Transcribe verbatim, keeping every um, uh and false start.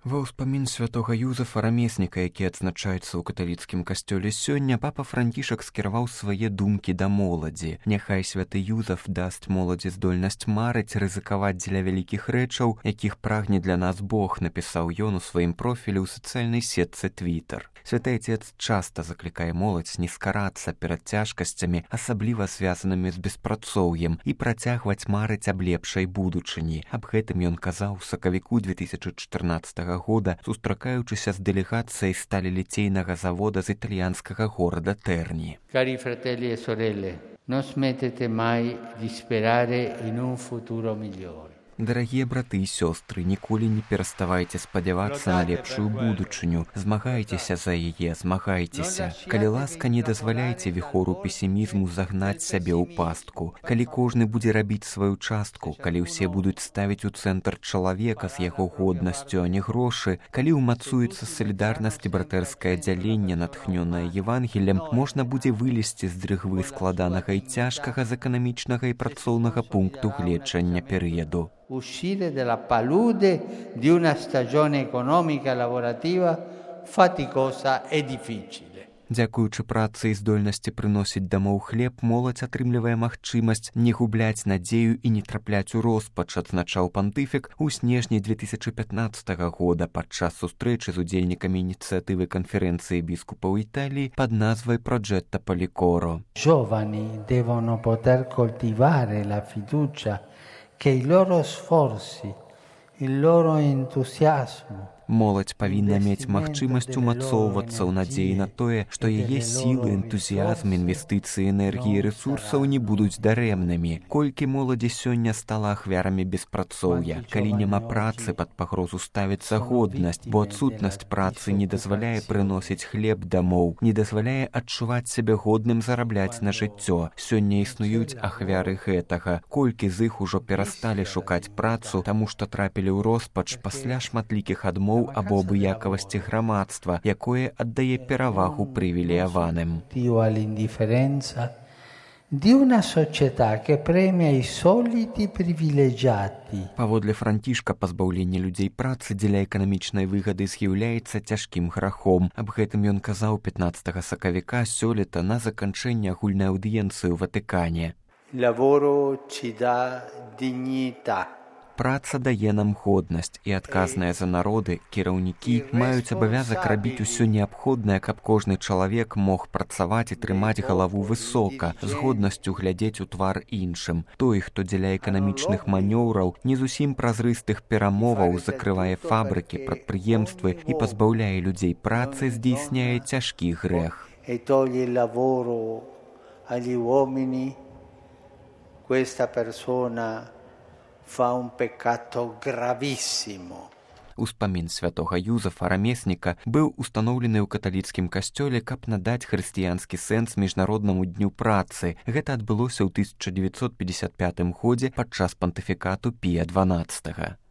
Ва ўспамін святога Юзафа рамесніка, які адзначаецца ў каталіцкім касцёле сёння, папа Францішак скіраваў свае думкі да моладзі. Няхай святы Юзаф дасць моладзі здольнасць марыць, рызыкаваць дзеля вялікіх рэчаў, якіх прагне для нас Бог, напісаў ён у сваім профілі ў сацыяльнай сетцы Твітер. Святы Отец часта заклікае моладзь не скарацца перад цяжкасцямі, асабліва звязанымі з беспрацоўем, і працягваць марыць аб лепшай будучыні. Аб гэтым ён казаў у сакавіку две тысячы чатырнаццатага года, сустракаючыся з дэлегацыяй сталеліцейнага завода з італьянскага горада Тэрні. Cari fratelli e sorelle, non smettete mai di sperare in un futuro migliore. Дарагія браты і сёстры, ніколі не пераставайце спадзявацца на лепшую будучыню. Змагайцеся за яе, змагайцеся. Калі ласка, не дазваляйце віхору песімізму загнаць сябе ў пастку. Калі кожны будзе рабіць сваю частку, калі ўсе будуць ставіць у цэнтр чалавека з яго годнасцю, а не грошы, калі ўмацуецца салідарнасць і братэрскае дзяленне, натхнёнае Евангелем, можна будзе вылезці з дрыгвы складанага і цяжкага з эканамічнага і працоўнага пункту гледжання перыяду. Uscire dalla palude di una stagione economica e lavorativa faticosa e difficile. Дзякуючы працы і здольнасці прыносіць дамоў хлеб, моладзь атрымлівае магчымасць не губляць надзею і не трапляць у роспач, адзначаў пантыфік у снежні две тысячы пятнаццатага года падчас сустрэчы з удзельнікамі ініцыятывы канферэнцыі біскупаў Італіі пад назвай «Progetto Policoro». Giovani devono poter coltivare la fiducia che i loro sforzi, il loro entusiasmo Моладзь павінна мець магчымасць умацоўвацца ў надзеі на тое, што яе сілы, энтузіязм, інвестыцыі, энергіі і рэсурсаў не будуць дарэмнымі. Колькі моладзі сёння стала ахвярамі беспрацоўя. Калі няма працы, пад пагрозу ставіцца годнасць, бо адсутнасць працы не дазваляе прыносіць хлеб дамоў, не дазваляе адчуваць сябе годным зарабляць на жыццё. Сёння існуюць ахвяры гэтага. Колькі з іх ужо перасталі шукаць працу, таму што трапілі ў роспач пасля шматлікіх адмоў або абыякавасці грамадства, якое аддае перавагу прывілеяваным. Di una società che premia i soliti privilegiati. Паводле Францішка, пазбаўленне людзей працы дзеля эканамічнай выгады з'яўляецца цяжкім грахом. Аб гэтым ён казаў пятнаццатага сакавіка сёлета на заканчэнне агульнай аўдыенцыі ў Ватыкане. Lavoro ci dà dignità. Праца дае нам годнасць, і адказныя за народы, кіраўнікі маюць абавязак рабіць усё неабходнае, каб кожны чалавек мог працаваць і трымаць галаву высока, з годнасцю глядзець у твар іншым. Той, хто дзеля эканамічных манёўраў, не зусім празрыстых перамоваў закрывае фабрыкі, прадпрыемствы і пазбаўляе людзей працы, здзейсняе цяжкі грэх. E toglie il lavoro agli uomini, questa persona fa un peccato gravissimo. Успамін святога Юзафа рамесніка быў устаноўлены ў каталіцкім касцёле, каб надаць хрысціянскі сэнс міжнароднаму дню працы. Гэта адбылося ў тысяча дзевяцьсот пятьдесят пятым годзе падчас пантыфікату Пія дванаццатага.